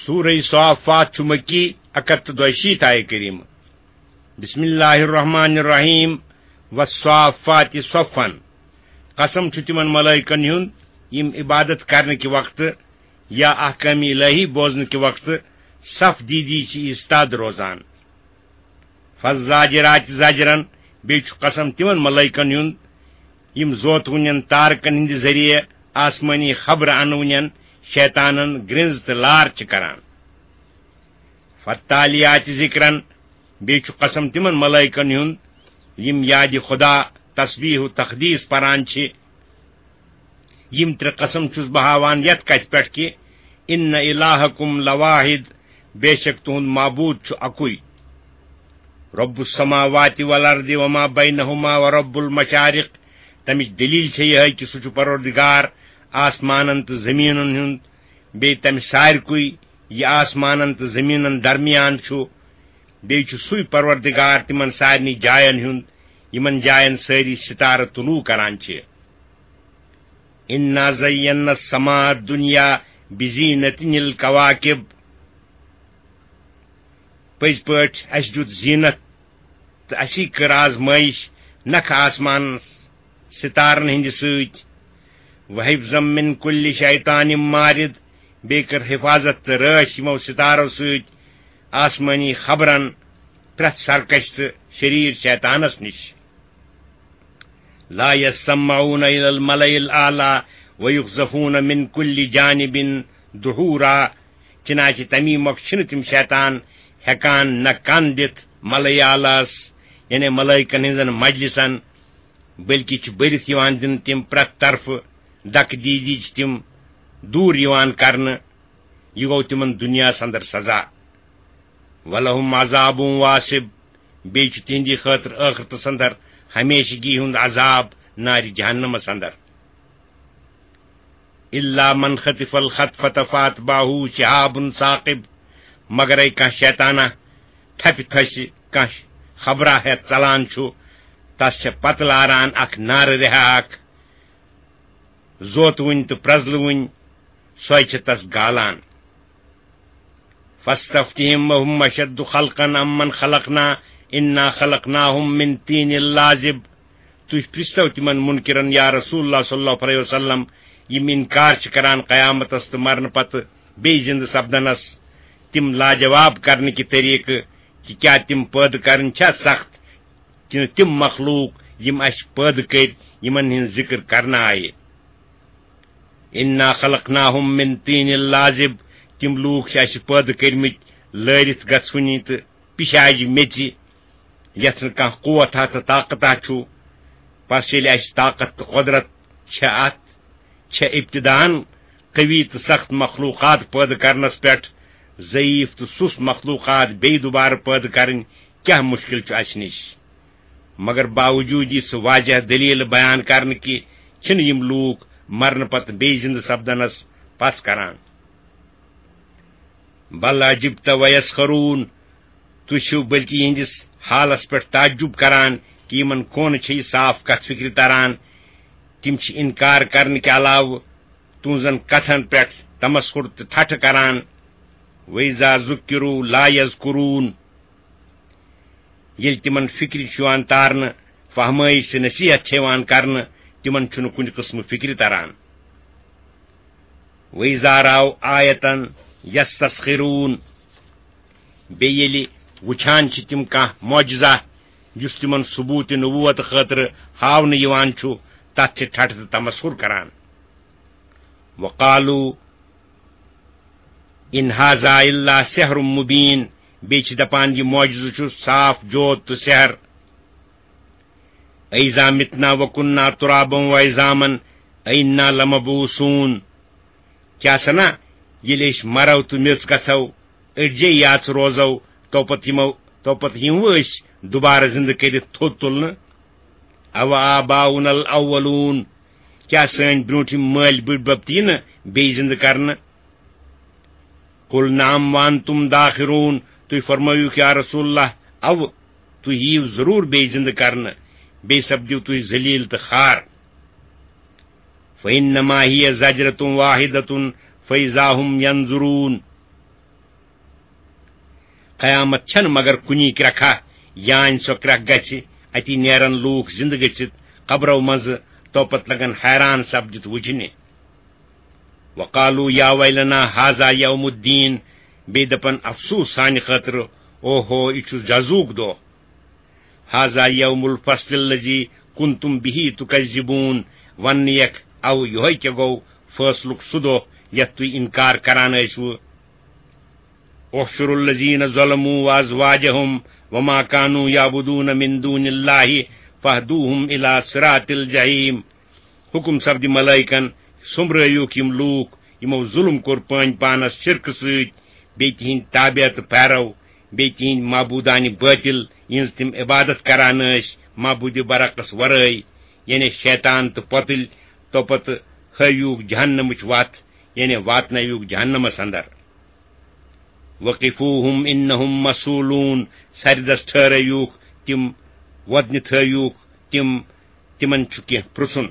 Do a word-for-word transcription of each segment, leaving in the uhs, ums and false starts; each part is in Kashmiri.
سورہ صافات چھُ مکی، اکتھ تہٕ دۄیہِ شیٖتھ آیہِ کریمہ۔ بسم اللہ الرحمن الرحیم۔ والصافات صفا۔ قسم چھُ تِمن ملائکن ہُنٛد، یِم عبادت کرنہٕ کہِ وقتہٕ یا احکام الہی بوزنہٕ کہِ وقتہٕ صف دیٖدی چھِ ایستاد روزان۔ فالزاجرات زجرا، بیٚیہِ چھُ قسم تِمن ملائکن ہُنٛد، یِم زوتوٕنٮ۪ن تارکن ہٕنٛدِ ذٔریعہٕ آسمٲنی خبرٕ انوٕنٮ۪ن شیطانن گرٛنٛز تہٕ لار چھِ کران۔ فالتالیات ذکرا، بیٚیہِ چھُ قسم تِمن ملائکن ہُنٛد، یِم یادِ خدا، تسبیح و تقدیس پران چھِ۔ یِم ترٛےٚ قسم چھُس بہٕ ہاوان یتھ کتھِ پٮ۪ٹھ کہِ ان الہکم لواحد، بے شک تُہُنٛد معبوٗد چھُ اکُے۔ رب السماوات والارض وما بینہما ورب المشارق۔ تمِچ دلیل چھےٚ یِہے کہِ سُہ چھُ پروردگار آسمانن تہٕ زمینن ہُنٛد، بیٚیہِ تمہِ سارِکُے یہِ آسمانن تہٕ زمینن درمیان چھُ۔ بیٚیہِ چھُ سُے پروردگار تِمن سارنٕے جاین ہُنٛد، یِمن جاین سٲری ستارٕ طلوع کران چھِ۔ انا زینا السماء الدنیا بزینة الکواکب۔ پٔزۍ پٲٹھۍ اَسہِ دیُت زیٖنت تہٕ اَسی کٔر آزمٲیِش نکھٕ آسمانس ستارن ہٕنٛدِ سۭتۍ۔ وحفظا من کل شیطان مارد، بیٚیہِ کٔر حفاظت تہٕ رٲچھ یِمو ستارو سۭتۍ آسمٲنی خبرن پرٛٮ۪تھ سرکش تہٕ شریٖر شیطانس نِش۔ لا یسمعون الی الملأ الاعلی ویقذفون من کل جانب دحورا۔ چنانچہ تمی مۄکھ چھِنہٕ تِم شیطان ہٮ۪کان نہ کن دِتھ ملأ اعلیس، یعنی ملائکن ہٕنٛزن مجلسن، بلکہ چھِ بٔرِتھ یِوان دِنہٕ تِم پرٛٮ۪تھ طرفہٕ، دکہٕ دیٖدی چھِ تِم دوٗر یِوان کرنہٕ۔ یہِ گوٚو تِمن دُنیاہس اندر سزا۔ ولہم عذاب واصب، بیٚیہِ چھُ تِہنٛدِ خٲطرٕ ٲخرتس اندر ہمیشگی ہُنٛد عذاب نارِ جہنمس اندر۔ الا من خطف الخطفة فاتبعه شهاب ثاقب، مگرے کانٛہہ شیطانہ تھپہِ تھسہِ کانٛہہ خبرا ہٮ۪تھ ژلان چھُ، تس چھےٚ پتہٕ لاران اکھ نارٕ رِہا اکھ۔ زوتوٕنۍ تہٕ پرٛزلوٕنۍ، سۄے چھِ تس گالان۔ فاستفتہم اہم اشد خلقا امن خلقنا انا خلقناہم من طین لازب۔ تُہۍ پرٛژھتو تِمن منکرن، یا رسول اللہ صلی اللہ علیہ وسلم، یِم انکار چھِ کران قیامتس تہٕ مرنہٕ پتہٕ بیٚیہِ زندٕ سپدنس، تِم لاجواب کرنہٕ کہِ طریقہٕ کہِ کیٛاہ تِم پٲدٕ کرٕنۍ چھا سخت، کِنہٕ تِم مخلوق یِم اَسہِ پٲدٕ کٔرۍ، یِمن ہٕنٛز ذِکر کرنہٕ آیہِ۔ انا خلقناہم من طین لازب، تِم لوٗکھ چھِ اَسہِ پٲدٕ کٔرمٕتۍ لٲرِتھ گژھوٕنی تہٕ پِشاجہِ میٚژِ، یَتھ نہٕ کانٛہہ قوت ہا تہٕ طاقت ہا چھُ۔ پس ییٚلہِ اَسہِ طاقت تہٕ قۄدرت چھےٚ اَتھ، چھےٚ ابتداً قوی تہٕ سخت مخلوقات پٲدٕ کرنس پٮ۪ٹھ ضعیف تہٕ سُس مخلوقات بیٚیہِ دوبارٕ پٲدٕ کرٕنۍ کیٛاہ مشکل چھُ اَسہِ نِش؟ مگر باوجود یہِ سُہ واضح دلیل بیان کرنہٕ کہِ چھِنہٕ یِم لوٗکھ مرنہٕ پتہٕ بیٚیہِ زِندٕ سپدنس پژھ کران۔ بل عجبت ویسخرون، تُہۍ چھِو بلکہِ یِہنٛدِس حالس پٮ۪ٹھ تعجب کران کہِ یِمن کونہٕ چھےٚ یہِ صاف کتھ فکرِ تران۔ تِم چھِ انکار کرنہٕ کہِ علاوٕ تُہنٛزن کتھن پٮ۪ٹھ تمسخر تہٕ ٹھٹھٕ کران۔ وَإِذَا ذُكِّرُوا لَا يَذْكُرُونَ۔ ییٚلہِ تِمن فِکرِ چھُ یِوان تارنہٕ، فہمٲیِش تہٕ نصیحت چھےٚ یِوان کرنہٕ، تِمن چھُنہٕ کُنہِ قٕسمہٕ فِکرِ تران۔ وَإِذَا رَأَوْا آيَةً يَسْتَسْخِرُونَ۔ بیٚیہِ ییٚلہِ وٕچھان چھِ تِم کانٛہہ معجزہ، یُس تِمن ثبوٗتِ نبوت خٲطرٕ ہاونہٕ یِوان چھُ، تتھ چھِ ٹھٹھٕ تہٕ تمسخر کران۔ وَقَالُوا إِنْ هَذَا إِلَّا سِحْرٌ مُبِينٌ۔ بیٚیہِ چھِ دپان، یہِ معجزٕ چھُ صاف جوت تہٕ سحر۔ أَإِذَا مِتْنَا وَكُنَّا تُرَابًا وَعِظَامًا أَإِنَّا لَمَبْعُوثُونَ۔ کیٛاہ سنا، ییٚلہِ أسۍ مرو تہٕ میٚژ گژھو، أڈجے یاژٕ روزو، تو پتہٕ یِمو، تو پتہٕ یِمو أسۍ دُبارٕ زِندٕ کٔرِتھ تھوٚد تُلنہٕ؟ أَوَآبَاؤُنَا الْأَوَّلُونَ۔ کیٛاہ سٲنۍ برٛونٛٹھِم مٲلۍ بٔڈۍ بب تہِ یِنہٕ بیٚیہِ زِندٕ کرنہٕ؟ قُلْ نَعَمْ وَأَنْتُمْ دَاخِرُونَ۔ تُہۍ فرمٲیِو، یا رسول اللہ، اَوٕ، تُہۍ یِیِو ضروٗر بیٚیہِ زِندٕ کرنہٕ، بیٚیہِ سپدِو تُہۍ ذلیل تہٕ خوار۔ فَإِنَّمَا هِيَ زَجْرَةٌ وَاحِدَةٌ فَإِذَا هُمْ يَنظُرُونَ۔ قیامت چھنہٕ مگر کُنی کرٛکھا، یانۍ سۄ کرٛکھ گژھِ، اتی نیرن لوٗکھ زندٕ گٔژھِتھ قبرو منٛزٕ، توپتہٕ لگن حیران سپدِتھ وٕچھنہِ۔ وقالوا یا ویلنا هذا یوم الدین، بیٚیہِ دپن افسوس سانہِ خٲطرٕ، اوہو، یہِ چھُ جزوُک دۄہ۔ هذا یوم الفصل الذی کنتم به تکذبون، وننہٕ یکھ او یہوے کیٛاہ گوٚو فٲصلُک سُہ دۄہ یتھ تُہۍ انکار کران ٲسوٕ۔ احشروا الذین ظلموا وازواجہم وما کانوا یعبدون من دون اللہ فاہدوہم الی صراط الجحیم۔ حکم سپدِ ملائکن، سوٚمبرٲیوکھ یِم لوٗکھ یِمو ظُلم کوٚر پٲنۍ پانس شرکہٕ سۭتۍ، بیٚیہِ تِہنٛدۍ تابع تہٕ پیرو، بیٚیہِ تِہنٛدۍ معبوٗدانہِ بٲطِل، یِہنٛز تِم عبادت کران ٲسۍ، معبوٗدِ برحقس ورٲے، یعنی شیطان تہٕ پۄتٕلۍ، توپتہٕ ہٲوِوکھ جہنمٕچ وتھ، یعنی واتنٲوِوکھ جہنمس اندر۔ وقفوہم انہم مسئولون، سرِ دس ٹھہرٲیوکھ تِم، وۄدنہِ تھٲیوکھ تِم، تِمن چھُ کینٛہہ پرژھُن۔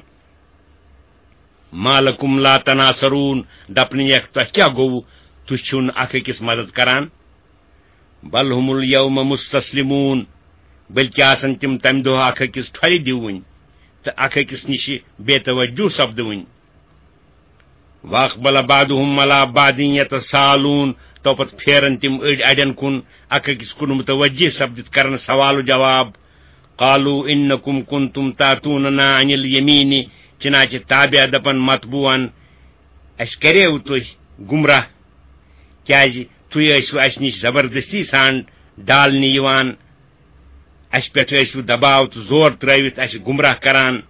ما لکم لا تناصرون، دپنہٕ یکھ تۄہہِ کیٛاہ گوٚوٕ، تُہۍ چھِو نہٕ اکھ أکِس مدد کران۔ بل ہم الیوم مستسلمون، بلکہ آسن تِم تمہِ دۄہ اکھ أکِس ٹھۄلہِ دِوٕنۍ تہٕ اکھ أکِس نِش بے توجہ سپدٕوٕنۍ۔ واقبل بعضهم على بعض يتساءلون، توپتہٕ پھیرن تِم أڑۍ اڑٮ۪ن کُن، اکھ أکِس کُن متوجہ سپدِتھ کرن سوال و جواب۔ قالوا انکم کنتم تاتوننا عن الیمین، چنانچہ تابع دپن متبوعن، اسہِ کریو تُہۍ گمراہ، کیازِ تُہۍ ٲسِو اسہِ نِش زبردستی سان ڈالنہِ یِوان، اسہِ پٮ۪ٹھ ٲسِو دباو تہٕ زور ترٲوِتھ اسہِ گمراہ کران۔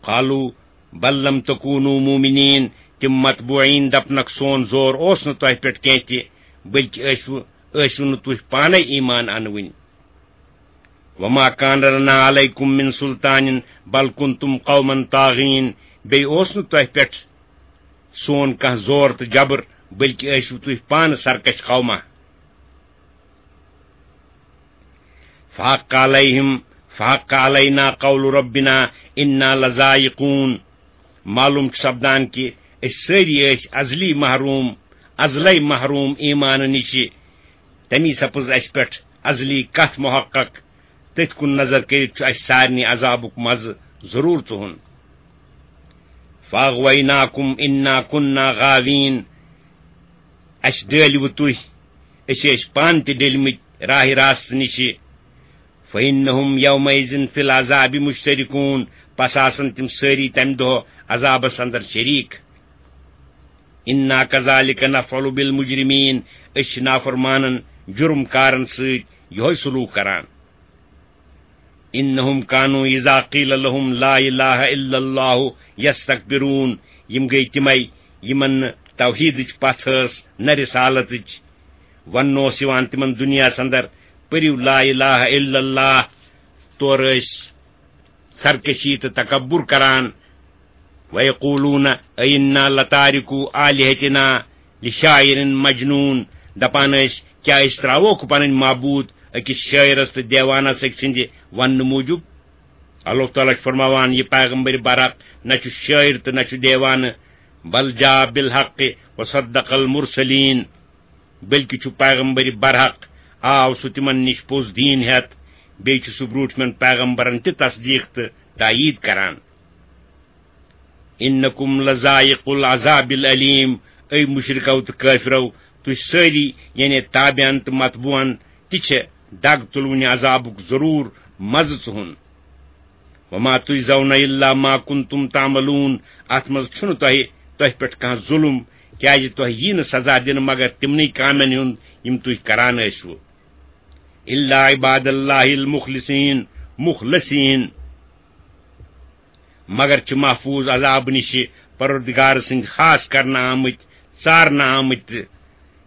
قالوا بل لم تکونوا مؤمنین، تِم متبوعین دپنکھ سون زور اوس نہٕ تۄہہِ پٮ۪ٹھ کینٛہہ تہِ، بلکہِ ٲسِو، ٲسِو نہٕ تُہۍ پانے ایمان انوٕنۍ۔ وما کان لنا علیکم من سلطان بل کنتم قوما طاغین، بیٚیہِ اوس نہٕ تۄہہِ پٮ۪ٹھ سون کانٛہہ زور تہٕ جبر، بلکہِ ٲسِو تُہۍ پانہٕ سرکش قوما۔ فحق علیہم، فحق علینا قول ربنا انا لذائقون۔ معلوم چھُ سپدان کہِ أسۍ سٲری ٲسۍ ازلی محروم، ازلے محروم ایمانہٕ نِشہِ۔ تمی سپٕز اسہِ پٮ۪ٹھ ازلی کتھ محقق۔ تٔتھۍ کُن نظر کٔرِتھ چھُ اسہِ سارنٕے عذابُک مزٕ ضروٗر ژُہُن۔ فاغویناکم انا کنا غاوین، اسہِ ڈٲلۍوٕ تُہۍ، أسۍ ٲسۍ پانہٕ تہِ ڈٔلۍمٕتۍ راہِ راستہٕ نِشہِ۔ فانہم یومئذ فی العذاب مشترکون، پس آسن تِم سٲری تمہِ دۄہ عذابس اندر شریک۔ انا کذالک نفعل بالمجرمین، أسۍ چھِ نافرمانن، جرم کارن سۭتۍ یِہوٚے سلوک کران۔ انہم کانوا اذا قیل لهم لا الہ الا اللہ یستکبرون، یِم گٔے تِمے یِمن نہٕ توحیدٕچ پژھ ٲس نہ رسالتٕچ۔ وننہٕ اوس یِوان تِمن دُنیاہس اندر، پٔرِو لا الہ الا اللہ، تورٕ ٲسۍ سرکشی تہٕ تکبر کران۔ ویقولون ائنا لتارکو آلہتنا لشاعر مجنون، دپان ٲسۍ، کیا أسۍ تراووکھ پنٕنۍ معبود أکِس شٲعرس تہٕ دیوانس أکۍ سٕنٛدِ وننہٕ موٗجوٗب؟ اللہ تعالیٰ چھُ فرماوان، یہِ پیغمبر برحق نہ چھُ شٲعر تہٕ نہ چھُ دیوانہٕ، بل جاء بالحق وصدق المرسلین، بلکہِ چھُ پیغمبر برحق، آو سُہ تِمن نِش پوٚز دیٖن ہٮ۪تھ، بیٚیہِ چھُ سُہ برٛوٗٹھمٮ۪ن پیغمبرن تہِ تصدیٖق تہٕ تایید کران۔ انکم لذائق العذاب العلیم، اے مشرکو تہٕ کٲفرو، تُہۍ سٲری، یعنی تابعن تہٕ متبوعن، تہِ چھِ دگ تُلوٕنہِ عذابُک ضروٗر مزٕ ژُہُن۔ وما تجزون الا ما کنتم تعملون، اتھ منٛز چھُنہٕ تۄہہِ، تۄہہِ پٮ۪ٹھ کانٛہہ ظُلم، کیازِ تۄہہِ یی نہٕ سزا دِنہٕ مگر تِمنٕے کامٮ۪ن ہُنٛد یِم تُہۍ کران ٲسِوٕ۔ الا عباد اللہ المخلصین، مخلصین، مگر چھِ محفوظ عذاب نِشہِ پروردگار سٕنٛدۍ خاص کرنہٕ آمٕتۍ، ژارنہٕ آمٕتۍ تہٕ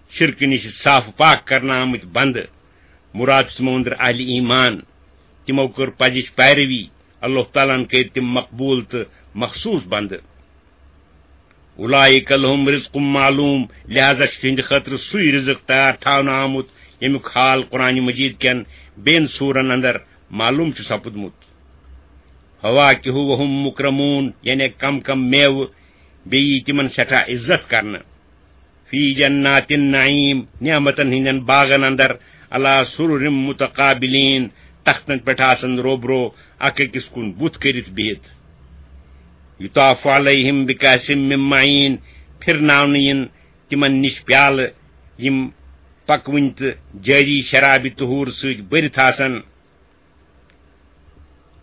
شرکہٕ نِشہِ صاف پاک کرنہٕ آمٕتۍ بندٕ۔ مراد چھُ تِمو أنٛدرٕ اہلِ ایمان۔ تِمو کٔر پزِچ پیروی، اللہ تعالیٰ ہن کٔرۍ تِم مقبول تہٕ مخصوص بندٕ۔ اولئک لہم رزق معلوم، لہذا چھُ تِہنٛدِ خٲطرٕ سُے رزق تیار تھاونہٕ آمُت، ییٚمیُک حال قرآن مجید کٮ۪ن بیٚین سورن اندر معلوم چھُ سپُدمُت۔ فواکہ وہم مکرمون، یعنی کم کم میوٕ، بیٚیہِ یی تِمن سٮ۪ٹھاہ عزت کرنہٕ۔ فی جنات النعیم، نعمتن ہٕنٛدٮ۪ن باغن اندر، علی سرر متقابلین، تختن پٮ۪ٹھ آسن روبرو، اکھ أکِس کُن بُتھ کٔرِتھ بِہِتھ۔ یطاف علیہم بکأس من معین، پھرناونہٕ یِن تِمن نِش پیالہٕ، یِم پکوٕنۍ تہٕ جٲری شرابِ طہور سۭتۍ بٔرِتھ آسن۔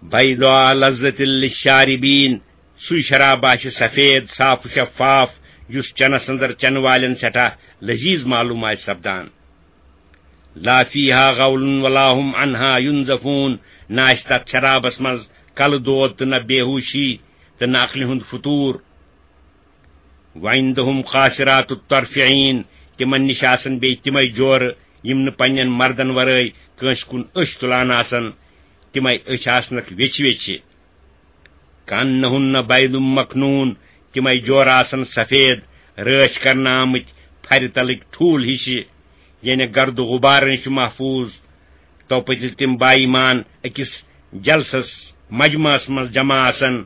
بیضاء لذة للشاربین، سُے شراب آسہِ سفید، صاف و شفاف، یُس چنس اندر چنہٕ والٮ۪ن سٮ۪ٹھاہ لذیذ معلوم آسہِ سپدان۔ لا فیہا غول ولا هم عنہا ینزفون، نہ آسہِ تتھ شرابس منٛز کلہٕ دود تہٕ نہ بے ہوشی تہٕ نہ عقلہِ ہُنٛد فطور۔ وعندهم قاصرات الطرف عین، تِمن نِش آسن بیٚیہِ تِمے جورٕ، یِم نہٕ پننٮ۪ن مردن ورٲے کٲنٛسہِ کُن أچھ تُلان آسن، تِمے أچھ آسنکھ ویچھِ ویچھِ۔ کأنہن بیض مکنون، تِمے جورٕ آسن سفید، رٲچھ کرنہٕ آمٕتۍ پھرِ تلٕکۍ ٹھوٗل ہِشہِ، یعنی گرد و غبار نِش چھِ محفوظ۔ توپٲتۍ ییٚلہِ تِم با ایمان أکِس جلسس، مجمعس منٛز جمع آسن،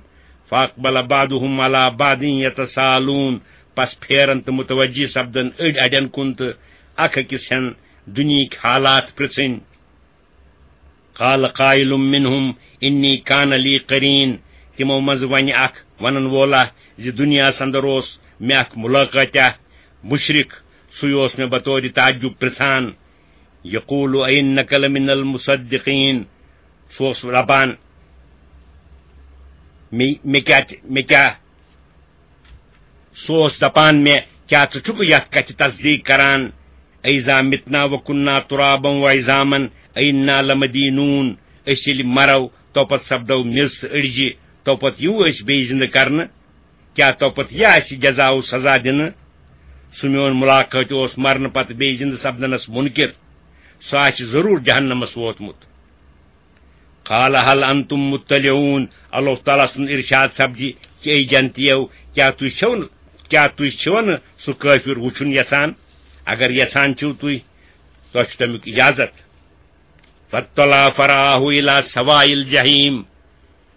فاقبل بعضهم علی بعض یتساءلون، پس پھیرن تہٕ متوجہ سپدن أڑۍ اڑٮ۪ن کُن تہٕ اکھ أکِس ہٮ۪ن دُنیہٕکۍ حالات پرژھٕنۍ۔ قال قائل منهم انی کان لی قرین، تِمو منٛز ونہِ اکھ ونن وولا زِ دُنیاہس اندر اوس مےٚ اکھ ملاقاتہ، مشرک، سُے اوس مےٚ بطور تعجب پرژھان۔ یقول اینک لمن المصدقین، سُہ اوس دپان، مےٚ مےٚ کیٛاہ تہِ- مےٚ کیٛاہ سُہ اوس دپان مےٚ، کیٛاہ ژٕ چھُکھ یتھ کتھِ تصدیق کران، اذا متنا وکنا ترابا وعظاما ائنا لمدینون، أسۍ ییٚلہِ مرو، توپتہٕ سپدو میٚژ تہٕ أڑجہِ، توپتہٕ یِیو أسۍ بیٚیہِ زندٕ کرنہٕ؟ کیٛاہ توپتہٕ یہِ آسہِ جزا و سزا دِنہٕ؟ سُہ میون ملاقات اوس مرنہٕ پتہٕ بیٚیہِ زندٕ سپدنس منکر، سُہ آسہِ ضروٗر جہنمس ووتمُت۔ قال هل انتم مطلعون، اللہ تعالیٰ سُنٛد ارشاد سپدِ، کہ اے جنتیو، کیٛاہ تُہۍ چھِو نہٕ، کیٛاہ تُہۍ چھِو نہٕ سُہ کٲفر وُچھُن یژھان؟ اگر یژھان چھِو تُہۍ، تۄہہِ چھُ تَمیُک اجازت۔ فاطلع فرآه الی سواء الجحیم،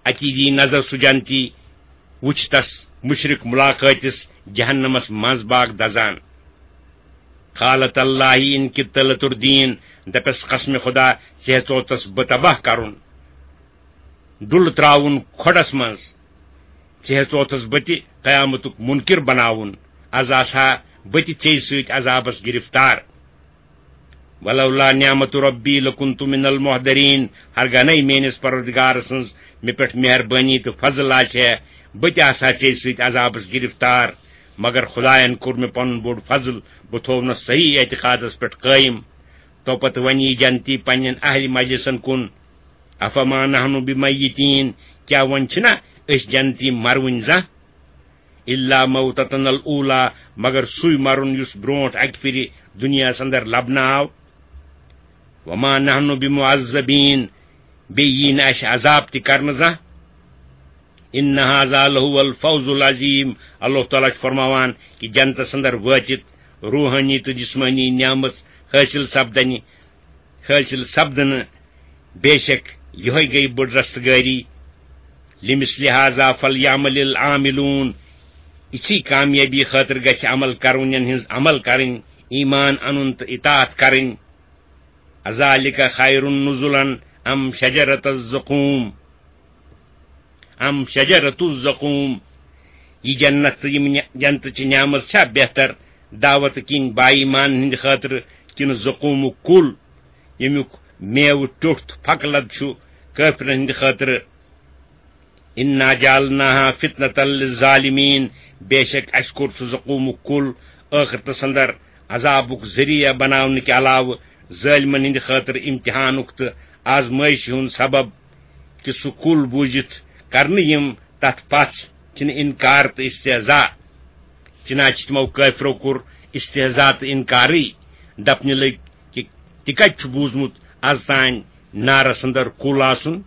اتی دی نظر سُہ جنتی، وُچھ تس مشرک ملاقاتس جہنمس منٛز باغ دزان۔ قال تاللہ ان کدت لتردین، دپس قسم خدا، ژےٚ ہیژوتس بہٕ تباہ کرُن، ڈُلہٕ تراوُن کھۄڈس منٛز، ژےٚ ہیژوتس بہٕ تہِ قیامتُک منکر بناوُن، از آسہٕ ہا بہٕ تہِ ژےٚ سۭتۍ عذابس گرفتار۔ ولولا نعمت ربی لکنت من المحضرین، ہرگاہ نَے میٲنِس پروردگار سٕنٛز مےٚ پٮ۪ٹھ مہربٲنی تہٕ فضل آسہِ ہے، بہٕ تہِ آسہٕ ہا ژےٚ سۭتۍ عذابس گرفتار۔ مگر خدایَن کوٚر مےٚ پنُن بوٚڑ فضل، بہٕ تھوونس صحیح اعتقادس پٮ۪ٹھ قٲیِم۔ توپتہٕ ونہِ یہِ جنتی پننٮ۪ن اہلِ مجلسن کُن، افما نحن بمیتین، کیٛاہ وۄنۍ چھِنا أسۍ جنتی مروٕنۍ زانٛہہ؟ الا موتتنا الاولی، مگر سُے مرُن یُس برونٹھ اکہِ پھِرِ دُنیاہس اندر لبنہٕ آو۔ وما نحن بمعذبین، بیٚیہِ یی نہٕ اَسہِ عذاب تہِ کرنہٕ زانٛہہ۔ ان هذا لهو الفوز العظیم، اللہ تعالیٰ چھُ فرماوان کہِ جنتس اندر وٲتِتھ روحٲنی تہٕ جسمٲنی نعمت حٲصِل سپدنہِ، حٲصِل سپدنہٕ، بے شک یِہوٚے گٔے بٔڑ رستگٲری۔ لمثل هذا فلیعمل العاملون، یِژھٕے کامیٲبی خٲطرٕ گژھِ عمل کرونٮ۪ن ہٕنٛز عمل کرٕنۍ، ایمان انُن تہٕ اطاعت کرٕنۍ۔ اذالک خیر نزلا ام شجرۃ الزقوم، ام شجرۃ الزقوم، یہِ جنت تہٕ یِم نع-، جنتٕچہِ نعمت چھا بہتر دعوت کِنۍ با ایمان ہٕنٛدِ خٲطرٕ کِنہٕ زقومُک کُل، ییٚمیُک میوٕ ٹیوٚٹھ تہٕ پھکہٕ لد چھُ کٲفرن ہٕنٛدِ خٲطرٕ؟ انا جعلناها فتنة للظالمین، بے شک اَسہِ کوٚر سُہ زقومُک کُل ٲخرتس اندر عذابُک ذٔریعہٕ بناونہٕ کہِ علاوٕ ظٲلمن ہٕنٛدِ خٲطرٕ امتحانُک تہٕ آزمٲیشہِ ہُنٛد سبب، کہِ سُہ کُل بوٗزِتھ کرنہٕ یِم تتھ پتھ چھِنہٕ انکار تہٕ استہزاء۔ چنانچہ تِمو کٲفرو کوٚر استہزاء تہٕ انکارٕے، دپنہِ لٔگۍ کہِ تہِ کتہِ چھُ بوٗزمُت از تام نارس اندر کُل آسُن؟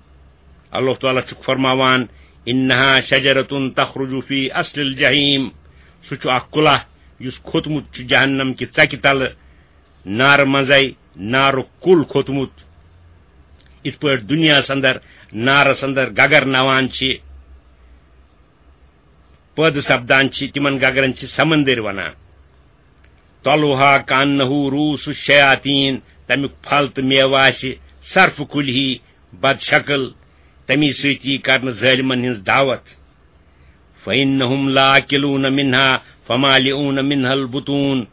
اللہ تعالیٰ چھُکھ فرماوان، انها شجرۃ تخرج فی اصل الجحیم، سُہ چھُ اکھ کُلہ یُس کھوٚتمُت چھُ جہنم کہِ ژکہِ تلہٕ، نارٕ منٛزے نارُک کُل کھوٚتمُت۔ یِتھ پٲٹھۍ دُنیاہَس اندر نارَس اندر گگر نوان چھِ، پٲدٕ سپدان چھِ، تِمن گگرن چھِ سمندر ونان۔ طلعها كأنه رؤوس الشياطين، تمیُک پھل تہٕ میوٕ آسہِ صرفہٕ کُلۍ ہی بد شکل، تمی سۭتۍ یی کرنہٕ ظٲلمن ہٕنٛز دعوت۔ فإنهم لآكلون منها فمالئون منها البطون،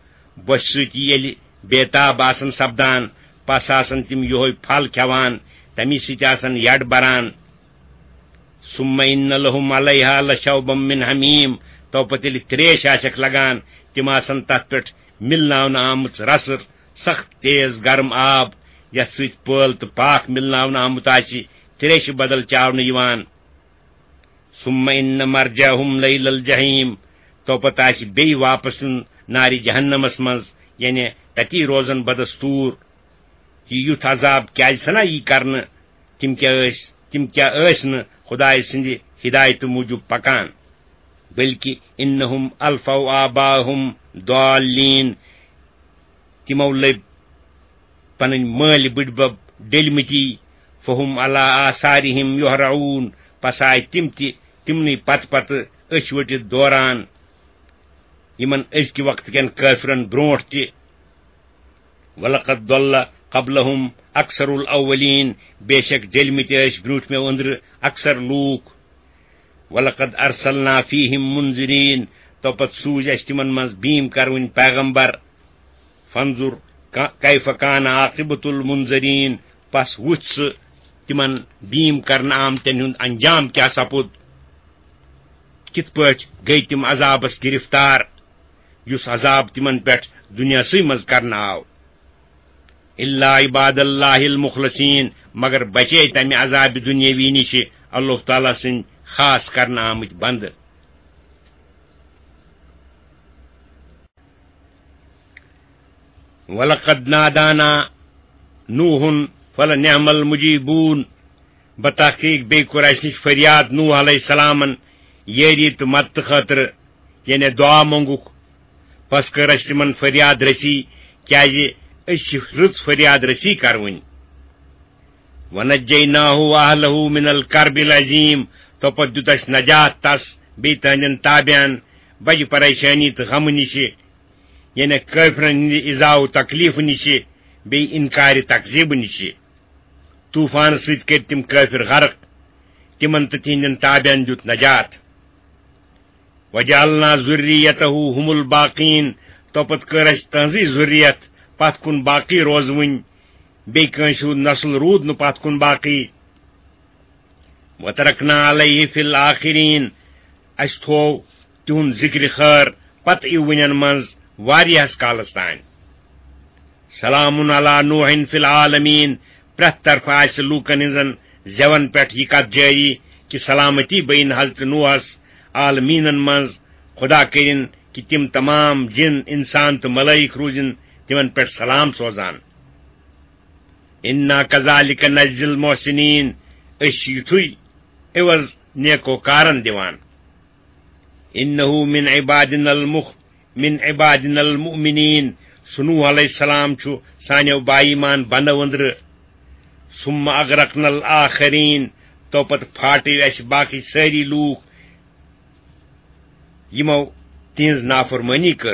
بۄچھِ سۭتۍ ییٚلہِ بے تاب آسن سپدان، پس آسن تِم یِہوے پھل کھٮ۪وان، تمی سۭتۍ آسن یڈ بران۔ ثم إن لهم عليها لشوبا من حميم، تو پتہٕ ییٚلہِ تریش آسٮ۪کھ لگان، تِم آسن تتھ پٮ۪ٹھ مِلناونہٕ آمٕژ رسٕر، سخت تیز گرم آب، یتھ سۭتۍ پٲل تہٕ پاکھ مِلناونہٕ آمُت آسہِ، تریشہِ بدل چاونہٕ یِوان۔ ثم إن مرجعهم لإلى الجحيم، تو پتہٕ آسہِ بیٚیہِ واپس یُن نارِ جہنمس منٛز، یعنی تتی روزن بدستور۔ یہِ یُتھ عذاب کیازِ سنا یی کرنہٕ؟ تِم کیٛاہ ٲسۍ، تِم کیٛاہ ٲسۍ نہٕ خدایہِ سٕنٛدِ ہدایتہٕ موٗجوٗب پکان؟ بلکہ إنهم ألفوا آباءهم ضالين، تِمو لٔبۍ پنٕنۍ مٲلۍ بٕڈبب ڈٔلۍ مٕتی۔ فهم على آثارهم يهرعون، پس آے تِم تہِ تِمنٕے پتہٕ پتہٕ أچھ ؤٹِتھ دوران، یِمن أزکہِ وقتہٕ کٮ۪ن کٲفرن برونٹھ تہِ۔ ولقد ضل قبلهم أكثر الأولين، بے شک ڈٔلۍ مٕتۍ ٲسۍ برونٹھمٮ۪و أنٛدرٕ اکثر لوٗکھ۔ ولقد أرسلنا فيهم منذرين، تو پتہٕ سوٗزۍ اَسہِ تِمن منٛز بیٖم کرونۍ پیغمبر۔ فانظر ک-، كيف كان عاقبة المنذرين، پس وُچھ ژٕ تِمن بیٖم کرنہٕ آمتٮ۪ن ہُنٛد انجام کیٛاہ سپُد، کِتھ پٲٹھۍ گٔے تِم عذابس گرفتار، یُس عذاب تِمن پٮ۪ٹھ دُنیاہسٕے منٛز کرنہٕ آو۔ إلا عباد الله المخلصين، مگر بچے تمہِ عذابِ دُنیاوی نِشہِ اللہ تعالیٰ سٕنٛدۍ خاص کرنہٕ آمٕتۍ بندٕ۔ ولقد نادانا نوح فلنعم المجيبون، بتحقیق بیٚیہِ کوٚر اَسہِ نِش فریاد نوح علیہ السلامن یٲری تہٕ مدتہٕ خٲطرٕ، یعنی دعا مونٛگُکھ۔ پس کٔر اَسہِ تِمن فریاد رسی، کیازِ أسۍ چھِ رٕژ فریاد رسی کرٕوٕنۍ۔ ونجیناہ واہلہ من الکرب العظیم، تو پتہٕ دیُت اَسہِ نجات تس بیٚیہِ تہنٛدٮ۪ن تابعن بجہِ پریشٲنی تہٕ غمہٕ نِشہِ، یعنی کٲفرن ہٕنٛدِ ایذا و تکلیفہٕ نِشہِ، بیٚیہِ انکارِ تکذیبہٕ نِشہِ۔ طوفانہٕ سۭتۍ کٔرۍ تِم کٲفر غرق، تِمن تہٕ تِہنٛدٮ۪ن تابعن دیُت نجات۔ وجعلنا ذریته هم الباقین، تو پتہٕ کٔر اَسہِ تہنٛزٕے ذُریت پتھ کُن باقی روزوٕنۍ، بیٚیہِ کٲنٛسہِ ہُنٛد نسل روٗد نہٕ پتھ کُن باقی۔ وترکنا علیہ فی الآخرین، اَسہِ تھوو تِہُنٛد ذکر خٲر پتہٕ یِوٕنٮ۪ن منٛز واریاہس کالس تام۔ سلام علی نوح فی العالمین، پرٛٮ۪تھ طرفہٕ آسہِ لوٗکن ہٕنٛزن زٮ۪ون پٮ۪ٹھ یہِ کتھ جٲری کہِ سلامتی بین حضرت نوحس عالمیٖنن منٛز۔ خدا کٔرِن کہِ تِم تمام جِن، انسان تہٕ ملٲیِک روٗزِن تِمن پٮ۪ٹھ سلام سوزان۔ انا کذالک نجزی المحسنین، أسۍ چھِ یُتھُے عوض نیکوکارن دِوان۔ انہ من عبادنا المخ من عبادنا المؤمنین، سُہ نوح علیہ السلام چھُ سانیو با ایمان بندو أنٛدرٕ۔ ثم اغرقنا الآخرین، تو پتہٕ پھاٹے اَسہِ باقی سٲری لوٗکھ، یِمو تِہنٛز نافرمٲنی کٔر۔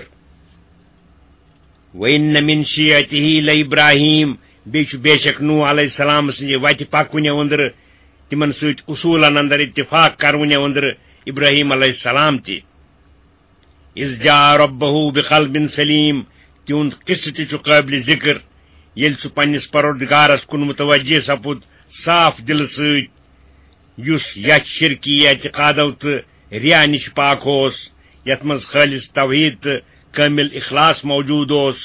وَإِنَّ مِن شِيعَتِهِ لَإِبْرَاهِيمَ، بیٚیہِ چھُ بے شک نوح علیہ السلام سٕنٛزِ وتہِ پکوٕنہِ أنٛدرٕ، تِمن سۭتۍ اصوٗلن اندر اتفاق کرونہِ أنٛدرٕ ابراہیم علیہ السلام تہِ۔ إِذْ جَاءَ رَبَّهُ بِقَلْبٍ سَلِيمٍ، تِہُنٛد قصہٕ تہِ چھُ قٲبلِ ذکر، ییٚلہِ سُہ پننِس پروردگارس کُن متوجہ سپُد صاف دلہٕ سۭتۍ، یُس یتھ شرکی اعتقادو تہٕ ریا نِش پاک اوس، یتھ منٛز خٲلص توحید تہٕ کٲمل اخلاص موجود اوس۔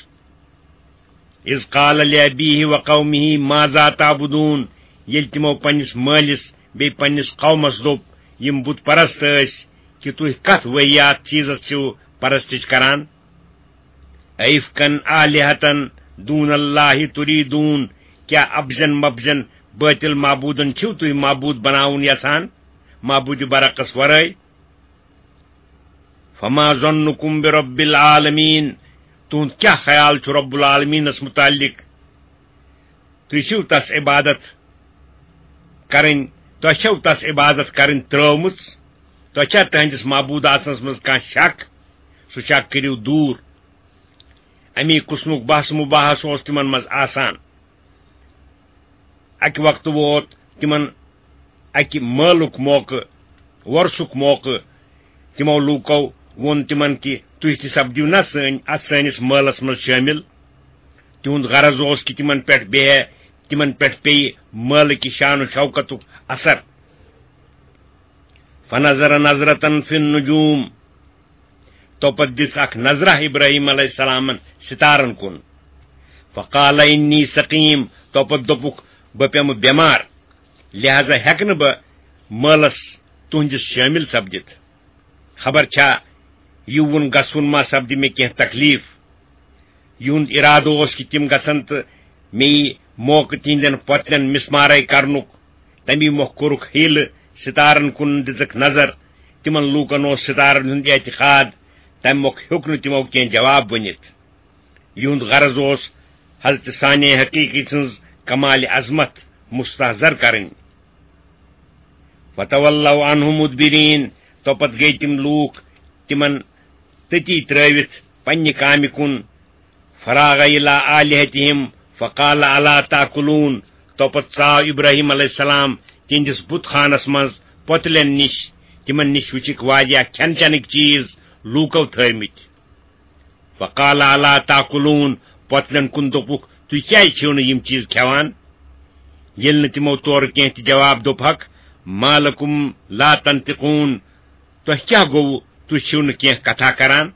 اذ قال لأبیہ و قومہ ماذا تعبدون، ییٚلہِ تِمو پننِس مٲلِس بیٚیہِ پننِس قومس دوٚپ، یِم بت پرست ٲسۍ، کہِ تُہۍ کتھ واحد چیزس چھِو پرستش کران؟ أئفکا آلہة دون اللہ تریدون، کیا ابزن مبزن باطل معبودن چھِو تُہۍ معبود بناوُن یژھان، معبود برحقس ورٲے؟ فما ظنکم برب العالمین، تُہُنٛد کیٛاہ خیال چھُ رب العالمینس متعلق؟ تُہۍ چھِو تس عبادت کرٕنۍ، تۄہہِ چھَو تس عبادت کرٕنۍ ترٲومٕژ؟ تۄہہِ چھا تہنٛدِس معبود آسنس منٛز کانٛہہ شک؟ سُہ شک کٔرِو دوٗر۔ اَمی قٕسمُک بحث مُباحث اوس تِمن منٛز آسان۔ اَکہِ وقتہٕ ووت تِمن اَکہِ مٲلُک موقعہٕ، وۄرثُک موقعہٕ۔ تِمو لوٗکو ووٚن تِمن کہِ تُہۍ تہِ سپدِو نا سٲنۍ، اَتھ سٲنِس مٲلَس منٛز شٲمِل۔ تِہُنٛد غرض اوس کہِ تِمن پٮ۪ٹھ بیہہِ، تِمن پٮ۪ٹھ پیٚیہِ مٲلہٕ کہِ شان و شوکتُک اثر۔ فنظر نظرة فی النجوم، تو پتہٕ دِژ اکھ نظرہ ابراہیم علیہ السلامن ستارن کُن۔ فقال انی سقیم، تو پتہٕ دوٚپُکھ، بہٕ پیمہٕ بٮ۪مار، لہذا ہیٚکہٕ نہٕ بہٕ مٲلس تُہنٛدِس شٲمِل سپدِتھ۔ خبر چھا یِوُن گژھُن ما سپدِ مےٚ کینٛہہ تکلیف؟ یِہُنٛد اِرادٕ اوس کہِ تِم گژھن تہٕ مےٚ یی موقعہٕ تِہنٛدٮ۪ن پۄتلٮ۪ن مِسمارے کرنُک۔ تَمی مۄکھ کوٚرُکھ حیلہٕ، ستارن کُن دِژٕکھ نظر۔ تِمن لوٗکن اوس ستارن ہُنٛد اعتقاد، تَمہِ مۄکھ ہیوٚک نہٕ تِمو کینٛہہ جواب ؤنِتھ۔ یِہُنٛد غرض اوس حضرت صانع حقیقی سٕنٛز کمال عظمت مستحضر کرٕنۍ۔ فتولوا عنہ مدبرین، تو پتہٕ گٔے تِم لوٗکھ تِمن تٔتی ترٲوِتھ پننہِ کامہِ کُن۔ فراغ الی آلہتہم فقال الا تاکلون، تو پتہٕ ژاو ابراہیم علیہ السلام تِہنٛدِس بُت خانس منٛز پۄتلٮ۪ن نِش، تِمن نِش وٕچھِکھ واریاہ کھٮ۪ن چٮ۪نٕکۍ چیٖز لوٗکو تھٲومٕتۍ۔ فقال الا تاکلون، پۄتلٮ۪ن کُن دوٚپُکھ، تُہۍ کیازِ چھِو نہٕ یِم چیٖز کھٮ۪وان؟ ییٚلہِ نہٕ تِمو تورٕ کینٛہہ تہِ جواب دوٚپہکھ، ما لکم لا تنطقون، تۄہہِ کیٛاہ گوٚوٕ؟ تُہۍ چھِو نہٕ کینٛہہ کتھا کران۔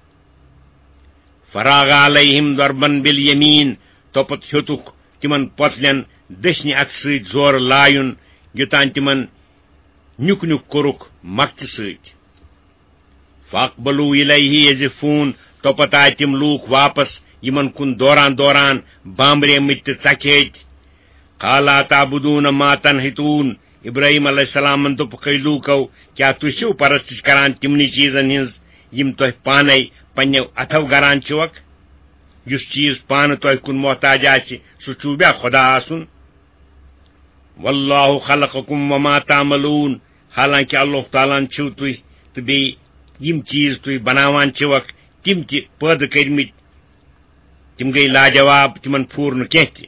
فراغ علیہم ضربا بالیمین، تو پتہٕ ہیوٚتُکھ تِمن پۄتلٮ۪ن دٔچھنہِ اتھٕ سۭتۍ زورٕ لایُن، یوٚتام تِمن نیُک نیُک کوٚرُکھ مۄکھتہِ سۭتۍ۔ فاقبلوا الیہ یزفون، تو پتہٕ آے تِم لوٗکھ واپس یِمن کُن دوران دوران بامبریمٕتۍ تہٕ ژکھیٚتۍ۔ قال اتعبدون ما تنحتون، ابراہیم علیہ السلامن دوٚپُکھ، ہے لوٗکو، کیٛاہ تُہۍ چھِو پرستش کران تِمنٕے چیٖزن ہٕنٛز یِم تۄہہِ پانے پننیو اتھو گران چھِوکھ؟ یُس چیٖز پانہٕ تۄہہِ کُن محتاج آسہِ، سُہ چھُو بیا خدا آسُن؟ واللہ خلقکم وما تعملون، حالانکہ اللہ تعالیٰ ہن چھِو تُہۍ تہٕ بیٚیہِ یِم چیٖز تُہۍ بناوان چھِوکھ، تِم تہِ پٲدٕ کٔرمٕتۍ۔ تِم گٔے لاجواب، تِمن پھوٗر نہٕ کینٛہہ تہِ۔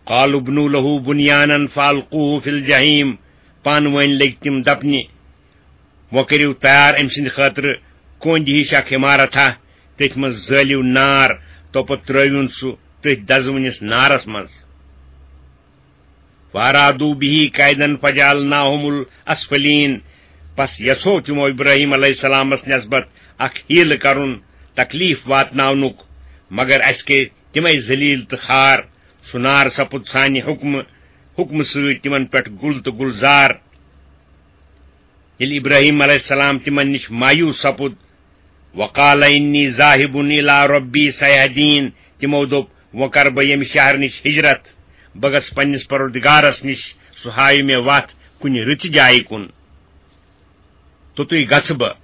قالوا ابنوا له بنيانا فألقوه في الجحيم، پانہٕ ؤنۍ لٔگۍ تِم دپنہِ، وۄنۍ کٔرِو تیار أمۍ سٕنٛدِ خٲطرٕ کۄنٛدِ ہِش اکھ عمارتھا، تٔتھۍ منٛز زٲلِو نار، تو پتہٕ ترٲوِن سُہ تٔتھۍ دزوٕنِس نارس منٛز۔ فارادوا به کیدا فجعلناهم الاسفلین، پس یژھو تِمو ابراہیم علیہ السلامس نسبت اکھ حیلہٕ کرُن، تکلیف واتناونُک، مگر اسہِ کٔرۍ تِمے ذلیل تہٕ خوار۔ سُہ نار سپُد سانہِ حکمہٕ، حکمہٕ سۭتۍ تِمن پٮ۪ٹھ گُل تہٕ گُلزار۔ ییٚلہِ ابراہیم علیہ السلام تِمن نِش مایوس سپُد، وقال انی ذاہب الی ربی سیہدین، تِمو دوٚپ، وۄنۍ کرٕ بہٕ ییٚمہِ شہرٕ نِش ہجرت، بہٕ گژھٕ پننِس پروردگارس نِش، سُہ ہاوِ مےٚ وتھ کُنہِ رٕژِ جایہِ کُن۔ توٚتُے گژھٕ بہٕ۔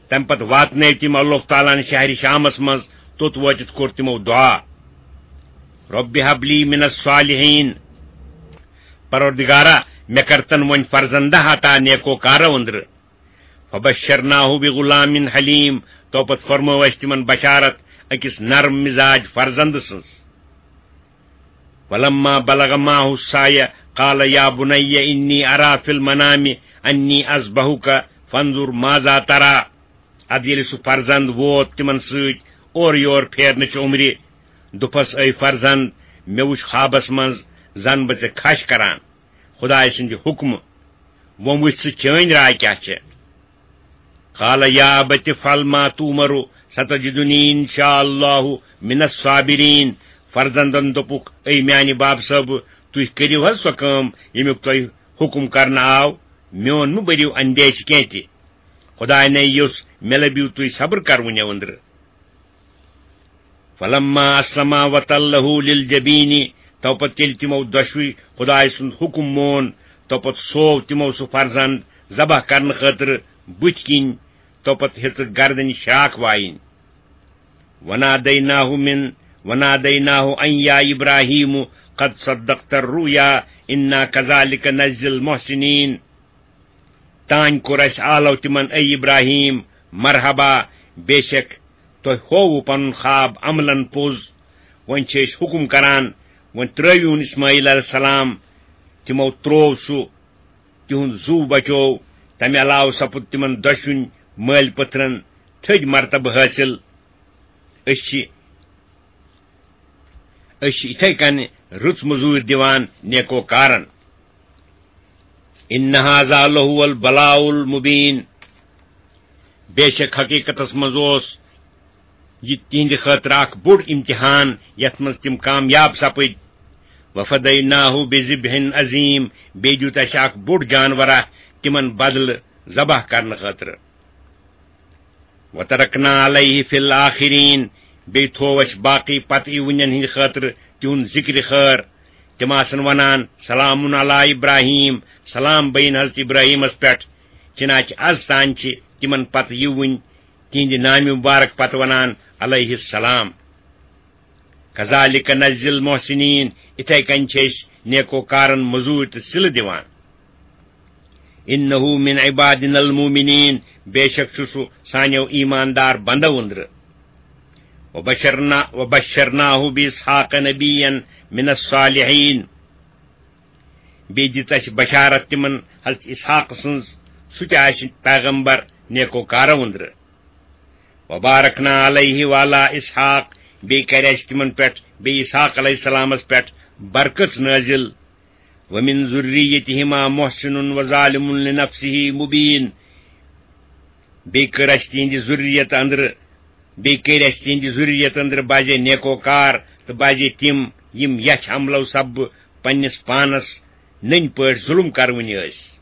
تمہِ پتہٕ واتنٲوۍ تِم اللہ تعالیٰ ہن شہرِ شامس منٛز، توٚت وٲتِتھ کوٚر تِمو دعا، رب ہب لی من الصالحین، پروردگارا، مےٚ کر تن وۄنۍ فرزندہ عطا نیکو کارو أنٛدرٕ۔ فبشرناہ بغلام حلیم، تو پتہٕ فرمٲو اسہِ تِمن بشارت أکِس نرم مزاج فرزند سٕنٛز۔ ولما بلغ معه السعی قال یا بنی انی ارا فی المنام انی اذبحک فانظر ماذا ترى۔ ادٕ ییٚلہِ سُہ فرزند ووت تِمن سۭتۍ اورٕ یور پھیرنہٕ چہِ عمرِ، دوٚپہس، اے فرزند، مےٚ وُچھ خوابس منٛز زن بہٕ ژےٚ کھش کران۔ خدایہِ سٕنٛدِ حُکمہٕ۔ وۄنۍ وٕچھ ژٕ چٲنۍ راے کیٛاہ چھےٚ۔ قال یا ابت افعل ما تؤمر ستجدنی ان شاء اللہ من الصابرین۔ فرزندن دوٚپُکھ، اے میانہِ باب صٲبہٕ، تُہۍ کٔرِو حض سۄ کٲم ییٚمیُک تۄہہِ حُکم کرنہٕ آو، میون مہٕ بٔرِو اندیشہِ کینٛہہ تہِ۔ خدایہِ نے یوٚژھ مےٚ لٔبِو تُہۍ صبر کرونہِ أنٛدرٕ۔ فلما اسلما وتلہ للجبین، تو پتہٕ ییٚلہِ تِمو دۄشوٕے خدایہِ سُنٛد حُکم مون، تو پتہٕ سوو تِمو سُہ فرزند ذبح کرنہٕ خٲطرٕ بُتھِ کِنۍ، تو پتہٕ ہیٚژٕکھ گردنہِ شراکھ وایِنۍ۔ ونادیناہ من، ونادیناہ ان یا ابراہیم قد صدقت الرؤیا انا کذالک نجزی المحسنین۔ تانۍ کوٚر اسہِ آلو تِمن، اے ابراہیم، مرحبا، بے شک تۄہہِ ہووُ پنُن خواب عملاً پوٚز۔ وۄنۍ چھِ أسۍ حُکم کران، وۄنۍ ترٲوِوُن اسماعیل علیہ السلام۔ تِمو تروو سُہ، تِہُنٛد زُو بچوو۔ تمہِ علاوٕ سپُد تِمن دۄشوٕنۍ مٲلۍ پٔتھرن تھٔدۍ مرتبہٕ حٲصِل۔ أسۍ چھِ، أسۍ چھِ یِتھے کٔنۍ رٕژ مٔزوٗرۍ دِوان نیکوکارن۔ ان هذا لهو البلاء المبین۔ بے شک حقیقتس منٛز اوس یہِ تِہنٛدِ خٲطرٕ اکھ بوٚڑ امتحان، یتھ منٛز تِم کامیاب سپٕدۍ۔ وفدیناہ بذبح عظیم، بیٚیہِ دیُت اسہِ اکھ بوٚڑ جانورا تِمن بدلہٕ ذبح کرنہٕ خٲطرٕ۔ وترکنا علیہ فی الآخرین، بیٚیہِ تھوو اسہِ باقی پتہٕ یِوٕنٮ۪ن ہٕنٛدِ خٲطرٕ تِہُنٛد ذکرِ خٲر۔ تِم آسن ونان، سلام علی ابراہیم، سلام بین حضرت ابراہیمس پٮ۪ٹھ۔ چنانچہ از تام چھِ تِمن پتہٕ یِوٕنۍ تِہنٛدِ نامہِ مبارک پتہٕ ونان، علیہ السلام۔ کذالک نجزی المحسنین، اِتھے کٔنۍ چھِ أسۍ نیکوکارن مٔزوٗرۍ تہٕ صلہٕ دِوان۔ انہ من عبادنا المؤمنین، بے شک چھُ سُہ سانیو ایماندار بندو أنٛدرٕ۔ وبشرنا، وبشرناہ باسحاق نبیا من الصالحین، بیٚیہِ دِژ اَسہِ بشارت تِمن حضرت اسحاق سٕنٛز، سُہ تہِ آسہِ پیغمبر نیکوکارو أنٛدرٕ۔ وبارکنا علیہ وعلی اسحاق، بیٚیہِ کرِ اَسہِ تِمن پٮ۪ٹھ، بیٚیہِ اسحاق علیہ السلامس پٮ۪ٹھ برکت نٲزِل۔ ومن ذریتہما محسن وظالم لنفسہ مبین، بیٚیہِ کٔر اَسہِ تِہنٛدِ ذُریت أنٛدرٕ، بیٚیہِ کٔرۍ اَسہِ تِہنٛدِ ذُریت أنٛدرٕ بعضے نیکوکار تہٕ بعضے تِم، یِم یَچھ عملو سببہٕ پننِس پانس نٔنۍ پٲٹھۍ ظُلم کرونہِ ٲسۍ۔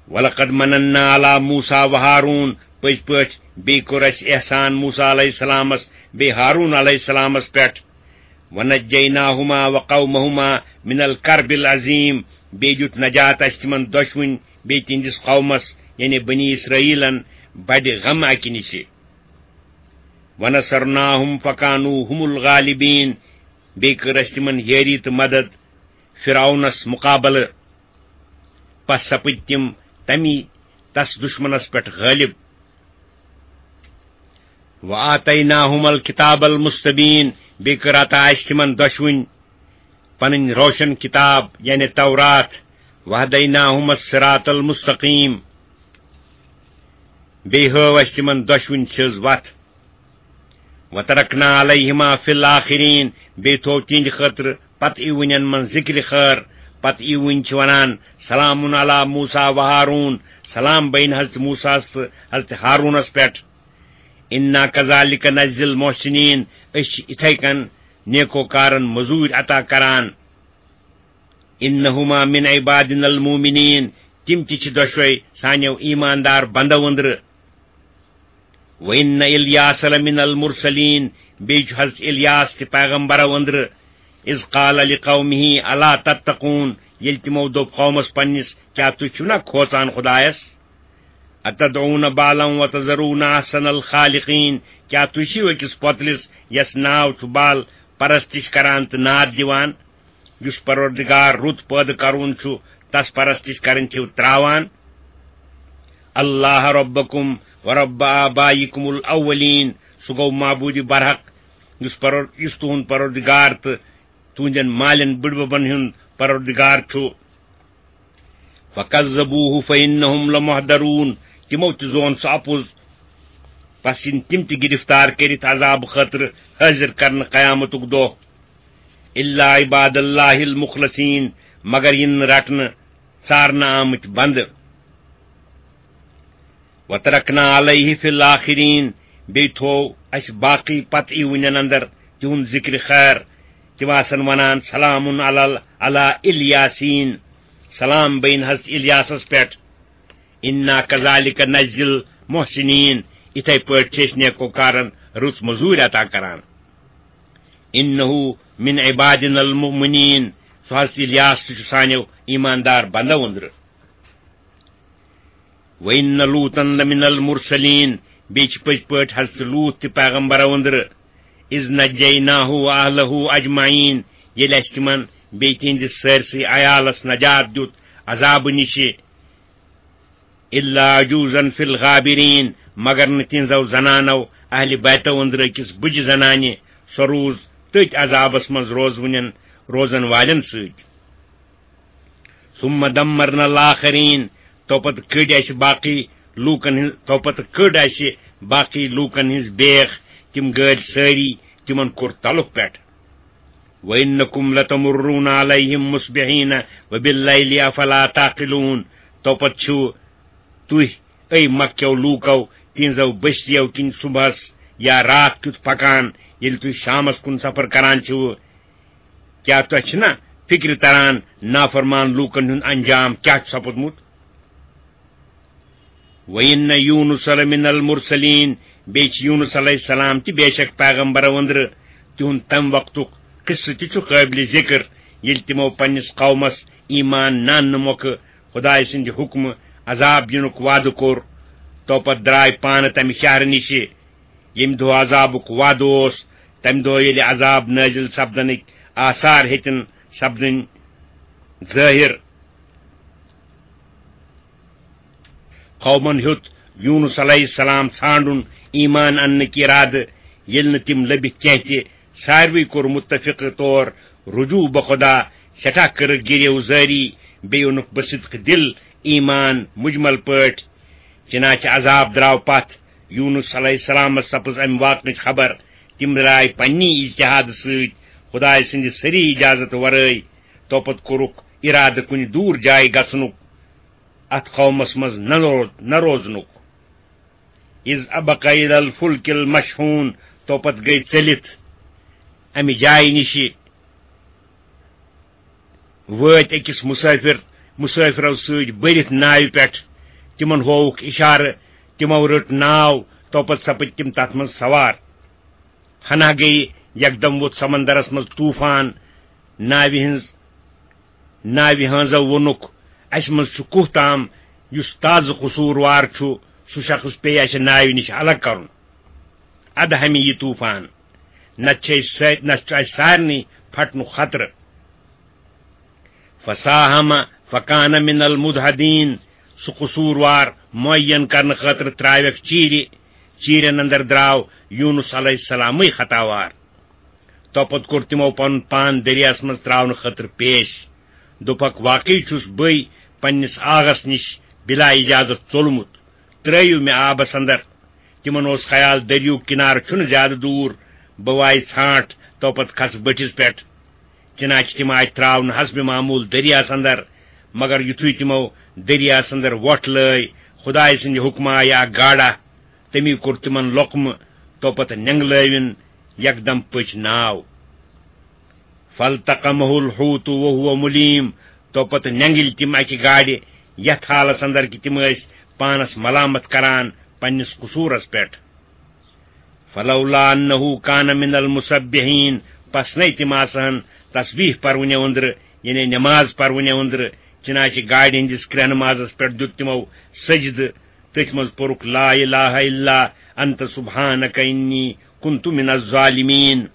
ولقد مننا علی موسیٰ و ہارون، پٔزۍ پٲٹھۍ بیٚیہِ کوٚر اَسہِ احسان موسیٰ علیہ السلامس بیٚیہِ ہارون علیہ السلامس پٮ۪ٹھ۔ ونجیناہما وقومہما من الکرب العظیم، بیٚیہِ دیُت نجات اَسہِ تِمن دۄشوٕنۍ بیٚیہِ تِہنٛدِس قومس، یعنی بنی اسرائیلن، بڑِ غم اکہِ نِشہِ۔ ونصرناہم فکانوا هم الغالبین، بیٚیہِ کٔر اَسہِ تِمن یٲری تہٕ مدد فرعونس مقابلہٕ۔ پس سپٕدۍ تِم تمی، تس دشمنس پٮ۪ٹھ غٲلب۔ وآتیناہم الکتاب المستبین، بیٚیہِ کٔر عطا اَسہِ تِمن دۄشوٕنۍ پنٕنۍ روشن کتاب، یعنی تورات۔ وہدیناہم الصراط المستقیم، بیٚیہِ ہٲو اَسہِ تِمن دۄشوٕنۍ سیٚز وتھ۔ وترکنا علیہما فی الآخرین، بیٚیہِ تھوو تِہنٛدِ خٲطرٕ پتہٕ یِوٕنٮ۪ن منٛز ذکرِ خٲر۔ پتہٕ یِوٕنۍ چھِ ونان، سلام علی موسیٰ و ہارون، سلام بین حضرت موسیٰ ہس تہٕ حضرت ہارونس پٮ۪ٹھ۔ انا کذالک نجزی المحسنین، أسۍ چھِ اِتھے کٔنۍ نیکوکارن مٔزوٗرۍ عطا کران۔ انہما من عبادنا المؤمنین، تِم تہِ چھِ دۄشوے سانیو ایماندار بندو أنٛدرٕ۔ وان الیاس لمن المرسلین، بیٚیہِ چھُ حضرت الیاس تہِ پیغمبرو أنٛدرٕ۔ اذ قال لقومہ الا تتقون، ییٚلہِ تِمو دوٚپ قومس پننِس، کیٛاہ تُہۍ چھِو نا کھوژان خدایس؟ اتدعون بالا وتذرون احسن الخالقین، کیٛاہ تُہۍ چھِو أکِس پۄتلِس یس ناو چھُ بال پرستش کران تہٕ ناد دِوان؟ یُس پروردگار رُت پٲدٕ کرون چھُ، تس پرستش کرٕنۍ چھِو تراوان۔ اللہ ربکم و رب آبائکم الاولین، سُہ گوٚو معبود برحق، یُس پرور-، یُس تُہُنٛد پروردگار تہٕ تُہنٛدٮ۪ن مالٮ۪ن بٕڈببن ہُنٛد پروردگار چھُ۔ فکذبوہ فانہم لمحضرون، تِمو تہِ زون سُہ اپُز، پس یِن تِم تہِ گرفتار کٔرِتھ عذاب خٲطرٕ حٲضِر کرنہٕ قیامتُک دۄہ۔ الا عباد اللہ المخلصین، مگر یِن نہٕ رٹنہٕ ژارنہٕ آمٕتۍ بندٕ۔ وترکنا علیہ فی الآخرین، بیٚیہِ تھوو اَسہِ باقٕے پتہٕ یِوٕنٮ۪ن اندر تِہُنٛد ذکرِ خیر۔ تِم آسن ونان، سلام علی ال-، علی الیاسین، سلام بین حضرت الیاسس پٮ۪ٹھ۔ انا کذالک نجزی المحسنین، اِتھے پٲٹھۍ چھِ أسۍ نیکوکارن رٕژ مٔزوٗرۍ عطا کران۔ انہ من عبادنا المؤمنین، سُہ حضرت الیاس تہِ چھُ سانیو ایماندار بندو أنٛدرٕ۔ وَإِنَّ لُوطًا لَمِنَ الْمُرْسَلِينَ، بیٚیہِ چھِ پٔزۍ پٲٹھۍ حضرت لوٗط تہِ پیغمبرو أنٛدرٕ۔ إِذْ نَجَّيْنَاهُ وَأَهْلَهُ أَجْمَعِينَ، ییٚلہِ اَسہِ تِمن بیٚیہِ تِہنٛدِس سٲرسٕے عیالس نجات دیُت عذابہٕ نِشہِ۔ إِلَّا عَجُوزًا فِي الْغَابِرِينَ، مگر نہٕ تِہنٛزو زنانو اہلِ بیتو أنٛدرٕ أکِس بٕجہِ زنانہِ۔ سۄ روٗز تٔتھۍ عذابس منٛز روزوٕنٮ۪ن، روزن والٮ۪ن سۭتۍ۔ ثم دمرنا الآخرین، تو پتہٕ کٔڈۍ اَسہِ باقٕے لوٗکن ہٕنٛز، تو پتہٕ کٔڈ اَسہِ باقٕے لوٗکن ہٕنٛز بیکھ، تِم گٲلۍ سٲری، تِمن کوٚر تلُک پٮ۪ٹھ۔ وَإِنَّكُمْ لَتَمُرُّونَ عَلَيْهِمْ مُصْبِحِينَ وَبِاللَّيْلِ أَفَلَا تَعْقِلُونَ۔ تو پتہٕ چھِو تُہۍ، اے مکہ کیو لوٗکو، تِہنٛزو بستیو کِنۍ صبحس یا راتھ کیُتھ پکان، ییٚلہِ تُہۍ شامس کُن سفر کران چھِو؟ کیٛاہ تۄہہِ چھِنا فِکرِ تران نافرمان لوٗکن ہُنٛد انجام کیٛاہ چھُ سپُدمُت؟ وَإِنَّ يُونُسَ لَمِنَ الْمُرْسَلِينَ، بیٚیہِ چھِ یوٗنُس علیہ السلام تہِ بے شک پیغمبرو أنٛدرٕ۔ تِہُنٛد تَمہِ وقتُک قصہٕ تہِ چھُ قٲبلِ ذِکر، ییٚلہِ تِمو پننِس قومس ایمان نہ اننہٕ مۄکھٕ خۄدایہِ سٕنٛدِ حُکمہٕ عذاب یِنُک وعدٕ کوٚر، تو پتہٕ درٛاے پانہٕ تَمہِ شہرٕ نِشہِ، ییٚمہِ دۄہ عذابُک وعدٕ اوس۔ تَمہِ دۄہ ییٚلہِ عذاب نٲزِل سپدنٕکۍ آثار ہیٚتِن سپدٕنۍ ظٲہِر، قومن ہیوٚت یوٗنُس علیہ السلام ژھانڈُن ایمان اننٕکۍ ارادٕ۔ ییٚلہِ نہٕ تِم لٔبِتھ کینٛہہ تہِ، ساروٕے کوٚر متفق طور رجوع بخدا، سٮ۪ٹھاہ کٔرٕکھ گِریو زٲری، بیٚیہِ اوٚنُکھ بصدق دِل ایمان مجمل پٲٹھۍ۔ چنانچہ عذاب درٛاو پتھ۔ یوٗنُس علیہ السلامس سپٕز امہِ واقعٕچ خبر۔ تِم درٛاے پننی اجتہادٕ سۭتۍ خدایہِ سٕنٛدِ سٔری اجازت ورٲے۔ توپتہٕ کوٚرُکھ ارادٕ کُنہِ دوٗر جایہِ گژھنُک، اتھ قومس منٛز نہ رو-، نہ روزنُک۔ اذ ابق الی الفلک المشحون، توپتہٕ گٔے ژٔلِتھ امہِ جایہِ نِشہِ۔ وٲتۍ أکِس مسافر، مسافرو سۭتۍ بٔرِتھ ناوِ پٮ۪ٹھ۔ تِمن ہووُکھ اشارٕ، تِمو رٔٹ ناو، توپتہٕ سپٕدۍ تِم تتھ منٛز سوار۔ ہنا گٔیہِ، یکدم ووٚتھ سمندرس منٛز طوفان۔ ناوِ ہٕنٛز، ناوِ ہٲنزو ووٚنُکھ، "اسہِ منٛز چھُ کوہ تام، یُس تازٕ قصوٗروار چھُ، سُہ شخص پیٚیہِ اسہِ ناوِ نِش الگ کرُن۔ ادٕ ہمہِ یہِ طوفان، نتہٕ چھِ أسۍ سٲ-، نتہٕ چھُ اسہِ سارنٕے پھٹنُک خطرٕ۔" فساہم فکان من المدحدین، سُہ قصوٗروار معین کرنہٕ خٲطرٕ ترٛاوٮ۪کھ چیٖرِ۔ چیٖرٮ۪ن اندر درٛاو یوٗنُس علیہ السلامٕے خطاوار۔ توپتہٕ کوٚر تِمو پنُن پان دٔریاہس منٛز ترٛاونہٕ خٲطرٕ پیش۔ دوٚپکھ، "واقعی چھُس بٕے پننِس آغس نِش بلا اجازت ژوٚلمُت۔ ترٛٲیِو مےٚ آبس اندر۔" تِمن اوس خیال، دٔریاہُک کِنارٕ چھُنہٕ زیادٕ دوٗر، بہٕ وایہِ ژھانٛٹھ، توپتہٕ کھسہٕ بٔٹھِس پٮ۪ٹھ۔ چنانچہ تِم آیہِ ترٛاونہٕ حسب معموٗل دٔریاہس اندر، مگر یُتھُے تِمو دٔریاہس اندر وۄٹھ لٲے، خدایہِ سٕنٛدِ حُکمہٕ آیہِ اکھ گاڈا، تٔمی کوٚر تِمن لۄقمہٕ، توپتہٕ نٮ۪نٛگلٲوِن، یکدم پٔچ ناو۔ فالتقمه الحوت وهو مليم، توپتہٕ نٮ۪نٛگلۍ تِم اکہِ گاڈِ، یتھ حالس اندر کہِ تِم ٲسۍ پانس ملامت کران پننِس قصوٗرس پٮ۪ٹھ۔ فلولا انه كان من المسبحين، پس نے تِم آسہٕ ہن تسبیح پرونہِ أنٛدرٕ، یعنی نماز پرونہِ أنٛدرٕ، چنانچہ گاڈِ ہٕنٛدِس کرٛہنہٕ مازس پٮ۪ٹھ دیُت تِمو سجدٕ، تٔتھۍ منٛز پوٚرُکھ، "لا اله الا انت سبحانك انی کنت من الظالمین۔"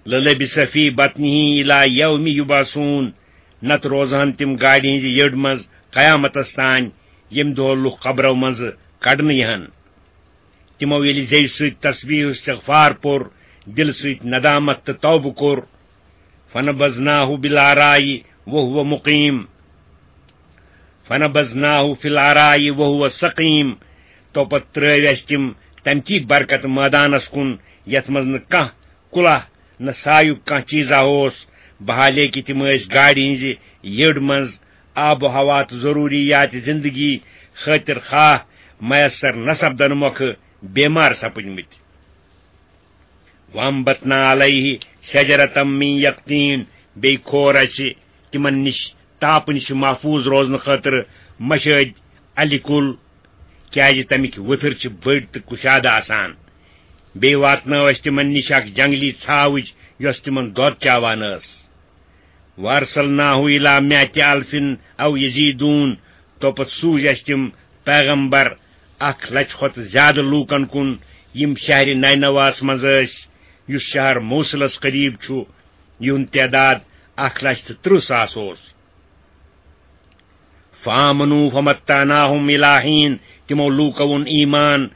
للبث فی بطنه الی یوم یبعثون، نتہٕ روزہن تِم گاڈِ ہٕنٛزِ یٔڈ منٛز قیامتس تانۍ، ییٚمہِ دۄہ لُکھ قبرو منٛزٕ کڑنہٕ یِہن۔ تِمو ییٚلہِ زیوِ سۭتۍ تسبیح و استغفار پوٚر، دِلہٕ سۭتۍ ندامت تہٕ توبہٕ کوٚر، فنبذناه بالعراء وهو مقیم، فنبذناه في العراء وهو سقیم، توپتہٕ ترٲوۍ اَسہِ تِم تمہِ کہِ برکت مٲدانس کُن، یتھ منٛز نہٕ کانٛہہ کُلہ نہ سایُک کانٛہہ چیٖزا اوس، بحالے کہِ تِم ٲسۍ گاڈِ ہٕنٛزِ یٔڈ منٛز آب و ہوا تہٕ ضروٗریات زندگی خٲطر خواہ میسر نہ سپدنہٕ مۄکھٕ بیمار سپٕدمٕتۍ۔ وَأَنبَتْنَا عَلَيْهِ شَجَرَةً مِّن يَقْطِينٍ، بیٚیہِ کھور اَسہِ تِمن نِش تاپہٕ نِش محفوٗظ روزنہٕ خٲطرٕ مشٲدۍ اَلہِ کُل، کیازِ تَمِکۍ ؤتھٕر چھِ بٔڑۍ تہٕ کُشادٕ آسان۔ بیٚیہِ واتنٲو اَسہِ تِمن نِش اکھ جنگلی ژھاوٕج، یۄس تِمن دۄد چاوان ٲس۔ وَأَرْسَلْنَاهُ إِلَىٰ مِائَةِ أَلْفٍ أَوْ يَزِيدُونَ، توپتہٕ سوٗزۍ اَسہِ تِم پیغمبر اکھ لچھ کھۄتہٕ زیادٕ لوٗکن کُن، یِم شہرِ نینواہس منٛز ٲسۍ، یُس شہر موصلس قریب چھُ، یِہُنٛد تعداد اکھ لچھ تہٕ ترٕٛہ ساس اوس۔ فَآمَنُوا فَمَتَّعْنَاهُمْ إِلَىٰ حِينٍ، تِمو لوٗکو اوٚن ایمان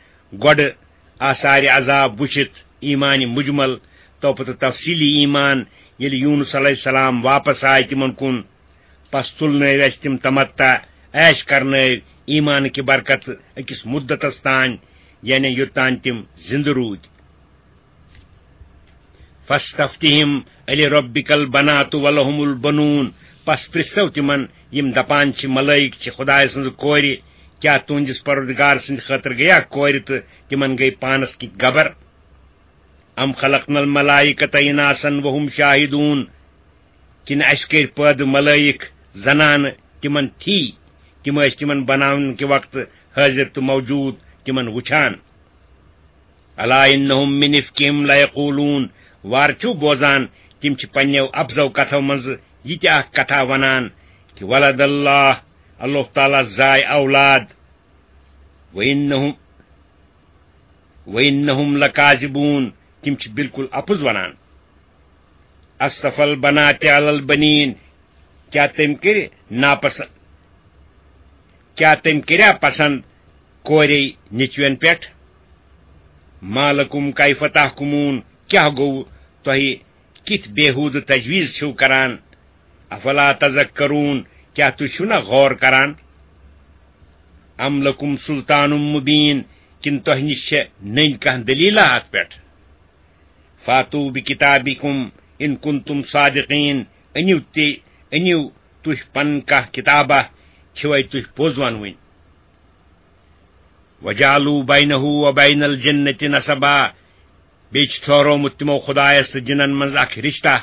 گۄڈٕ آثارِ عذاب وٕچھِتھ، ایمانِ مجمل، تو پتہٕ تفصیلی ایمان، ییٚلہِ یونس علیہ السلام واپس آے تِمن کُن۔ پس تُلنٲوۍ اَسہِ تِم تمتع، عیش کرنٲوۍ ایمانٕکہِ برکتہٕ أکِس مُدتس تانۍ، یعنی یوٚتانۍ تِم زِندٕ روٗدۍ۔ فاستفتہم ألربک البنات ولہم البنون۔ پس پرژھو تِمن، یِم دپان چھِ ملائک چھِ خدایہِ سٕنزٕ کورِ، کیاہ تُہندِس پروردگار سٕندِ خٲطرٕ گٔیا کورِ تہٕ تِمن گٔے پانس کِتۍ گبر؟ ام خلقنا الملائکۃ اناثا وهم شاہدون، کِنہٕ اَسہِ کٔرۍ پٲدٕ ملائک زنانہٕ تِمن تھی، تِم ٲسۍ تِمن بناونہٕ کہِ وقتہٕ حٲضِر تہٕ موجود تِمن وُچھان۔ الا انہم من افکہم لیقولون، وار چھُو بوزان، تِم چھِ پننیو اپزو کتھو منزٕ یہِ تہِ اکھ کتھا ونان کہِ ولد اللہ، اللہ تعالیٰ زاے اولاد۔ وانہم وانہم لکاذبون، تِم چھِ بالکل اپُز ونان۔ اصطفی البنات علی البنین، کیا تٔمۍ کٔرِ ناپسند، کیا تٔمۍ کٔریا پسند کورے نیچوین پٮ۪ٹھ؟ ما لکم کیف تحکمون، کیا گوٚو تۄہہِ، کِتھ بیہودٕ تجویز چھِو کران؟ افلا تذکرون، کیا تُہۍ چھِو نہ غور کران؟ ام لکم سلطان مبین، کِنہٕ تۄہہِ نِش چھےٚ نٔنۍ کانٛہہ دلیلہ اتھ پٮ۪ٹھ؟ فاتو بکتابکم ان کنتم صادقین، أنِو تہِ، أنِو تُہۍ پنٕنۍ کانٛہہ کتابہ، چھِوے تُہۍ پوٚز ونوٕنۍ۔ وجعلوا بینہ وبین الجنۃ نسبا، بیٚیہِ چھُ ٹھہرومُت تِمو خدایس تہٕ جِنن منٛز اکھ رشتہ،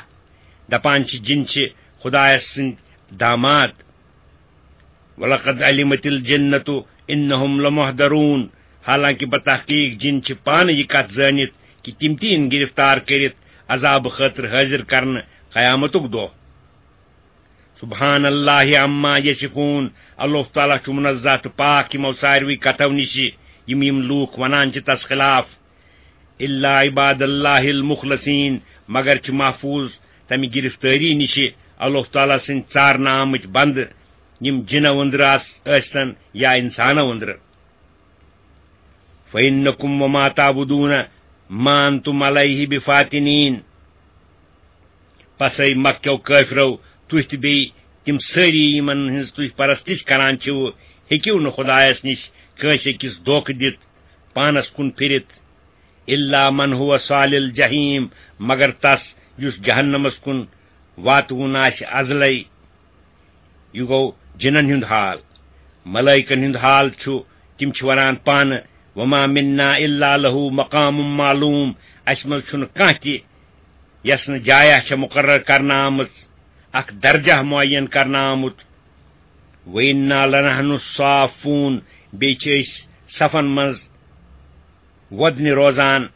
دپان چھِ جِن چھِ خدایس سٕنٛدۍ داماد۔ ولقد علمت الجنۃ انہم لمحضرون، حالانکہ بتحقیق جِن چھِ پانہٕ یہِ کتھ زٲنِتھ کہِ تِم تہِ یِن گرفتار کٔرِتھ عذابہٕ خٲطرٕ حٲضِر کرنہٕ قیامتُک دۄہ۔ سبحان اللہ عما یصفون، اللہ تعالیٰ چھُ منزہ تہٕ پاک یِمو ساروٕے کتھو نِش یِم یِم لوٗکھ ونان چھِ تس خلاف۔ الا عباد اللہ المخلصین، مگر چھِ محفوظ تمہِ گرفتٲری نِش اللہ تعالیٰ سٕنٛدۍ ژارنہٕ آمٕتۍ بندٕ، یِم جِنو أنٛدرٕ آس ٲسۍتن یا انسانو أنٛدرٕ۔ فإنکم وما تعبدون ما انتم علیہ بفاتنین۔ پس اے مکہ کیو کٲفرو، تُہۍ تہٕ بیٚیہِ تِم سٲری یِمن ہٕنٛز تُہۍ پرستش کران چھِو، ہیٚکِو نہٕ خدایس نِش کٲنٛسہِ أکِس دھوکہٕ دِتھ، پانس کُن پھِرِتھ۔ الا من هو صال الجحیم، مگر تس یُس جہنمس کُن واتوُن آسہِ ازلے۔ یہِ گوٚو جِنن ہُنٛد حال۔ ملائکن ہُنٛد حال چھُ، تِم چھِ ونان پانہٕ، وما منا الا له مقام معلوم، اسہِ منٛز چھُنہٕ کانٛہہ تہِ یس نہٕ جایہ چھےٚ مقرر کرنہٕ آمٕژ، اکھ درجہ معین کرنہٕ آمُت۔ وإنا لنحن الصافون، بیٚیہِ چھِ أسۍ صفن منٛز وۄدنہِ روزان،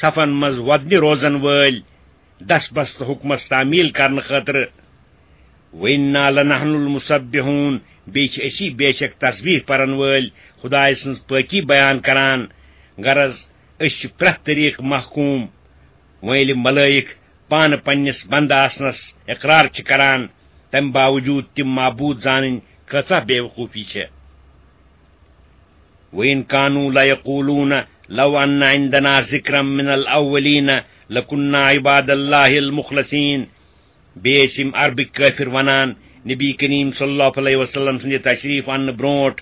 صفن منٛز وۄدنہِ روزن وٲلۍ، دس بس تہٕ حکمس تعمیل کرنہٕ خٲطرٕ۔ وإنا لنحن المسبحون، بیٚیہِ چھِ أسی بے شک تسبیح پرن وٲلۍ، خدایہِ سٕنٛز پٲکی بیان کران۔ غرض، أسۍ چھِ پرٛٮ۪تھ طریقہٕ محکوم۔ وۄنۍ ییٚلہِ ملائک پانہٕ پننِس بندٕ آسنس اقرار چھِ کران، تمہِ باوجود تِم معبود زانٕنۍ کۭژاہ بے وقوفی چھےٚ۔ وإن كانوا ليقولون لو أن عندنا ذكرا من الأولين لكنا عباد الله المخلصين۔ بیٚیہِ ٲسۍ یِم عربٕکۍ کٲفر ونان، نبی کریم صلی اللہ علیہ وسلم سٕنٛدِ تشریف اننہٕ برونٹھ،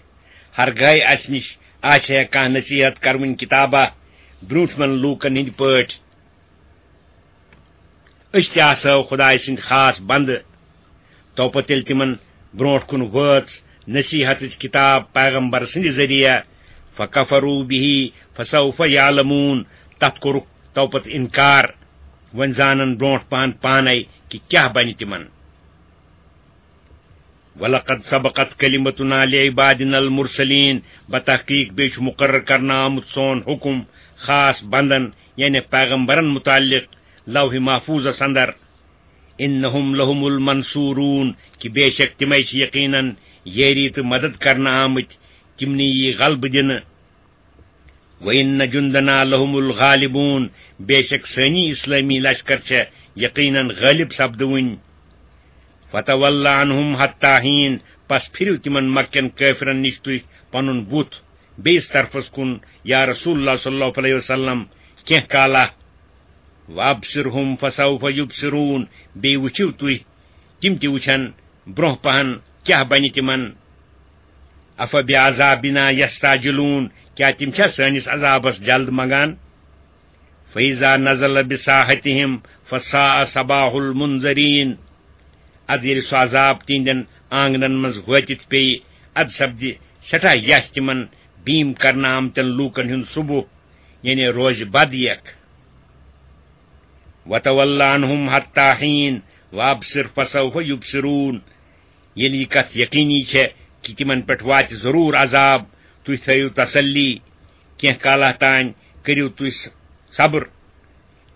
ہرگاہے اسہِ نِش آسہِ ہے کانٛہہ نصیحت کرٕنۍ کتابہ برونٹھمٮ۪ن لوٗکن ہٕنٛدۍ پٲٹھۍ، أسۍ تہِ آسہو خدایہِ سٕنٛدۍ خاص بندٕ۔ تو پتہٕ ییٚلہِ تِمن برونٹھ کُن وٲژ نصیحتٕچ کتاب پیغمبر سٕنٛدِ ذٔریعہٕ، فکفروا به فسوف یعلمون، تتھ کوٚرُکھ تو پتہٕ انکار۔ وۄنۍ زانن برونٹھ پہن پانے کہِ کیاہ بنہِ تِمن۔ ولقد سبقت كلمتنا لعبادنا المرسلين، بتحقیق بیٚیہِ چھُ مقرر کرنہٕ آمُت سون حکم خاص بندن، یعنی پیغمبرن متعلق، لوح محفوظس اندر۔ انہم لہم المنصورون، کہ بے شک تمے چھِ یقیناً یٲری تہٕ مدد کرنہٕ آمٕتۍ، تِمنٕے یی غلبہٕ دِنہٕ۔ وَإِنَّ جُنْدَنَا لَهُمُ الْغَالِبُونَ، بے شک سٲنی اسلٲمی لشکر چھےٚ یقیناً غٲلب سپدوٕنۍ۔ فَتَوَلَّ عَنْهُمْ حَتَّى حِينٍ، پس پھِرِو تِمن مکہ کٮ۪ن کٲفرن نِش تُہۍ پنُن بُتھ، بیٚیِس طرفس کُن، یا رسول اللہ صلی اللہ علیہ وسلم، کینٛہہ کالا۔ وَأَبْصِرْهُمْ فَسَوْفَ يُبْصِرُونَ، بیٚیہِ وٕچھِو تُہۍ، تِم تہِ وٕچھن برونٛہہ پہن کیٛاہ بنہِ تِمن۔ أَفَبِعَذَابِنَا يَسْتَعْجِلُونَ، کیٛاہ تِم چھا سٲنِس عذابس جلد منگان؟ فَإِذَا نَزَلَ بِسَاحَتِهِمْ فَسَاءَ صَبَاحُ الْمُنذَرِينَ۔ ادٕ ییٚلہِ سُہ عذاب تِہنٛدٮ۪ن آنگنن منٛز وٲتِتھ پیٚیہِ، ادٕ سپدِ سٮ۪ٹھاہ یَتھ تِمن بیم کرنہٕ آمتٮ۪ن لوٗکن ہُنٛد صبح، یعنی روزِ بد یکھ۔ وَتَوَلَّ عَنْهُمْ حَتَّى حِينٍ وَأَبْصِرْ فَسَوْفَ يُبْصِرُونَ۔ ییٚلہِ یہِ کتھ یقینی چھےٚ کہِ تِمن پٮ۪ٹھ واتہِ ضروٗر عذاب، تُہۍ تھٲیِو تسلی، کینٛہہ کالہ تام کٔرِو تُہۍ س-، صبر،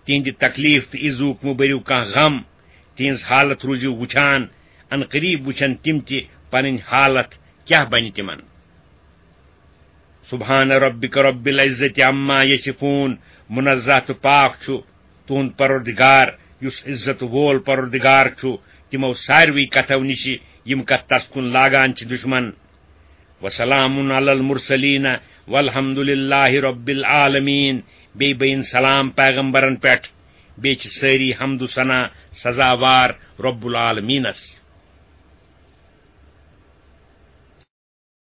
تِہنٛدِ تکلیف تہٕ ایذُک مہٕ بٔرِو کانٛہہ غم، تِہنٛز حالت روٗزِو وُچھان، ان قریب وُچھن تِم تہِ پنٕنۍ حالت کیٛاہ بنہِ تِمن۔ سبحان ربک رب العزت عما یصفون، منزہ تہٕ پاک چھُ تُہُنٛد پروردگار، یُس عزت وول پروردگار چھُ تِمو ساروٕے کتھو نِشہِ، یِم کتھ تس کُن لاگان چھِ دشمن۔ وسلام علی المرسلین والحمد للہ رب العالمین۔ بیٚیہِ بٔیِن سلام پیغمبرن پٮ۪ٹھ، بیٚیہِ چھِ سٲری حمد و ثنا سزاوار رب العالمینس۔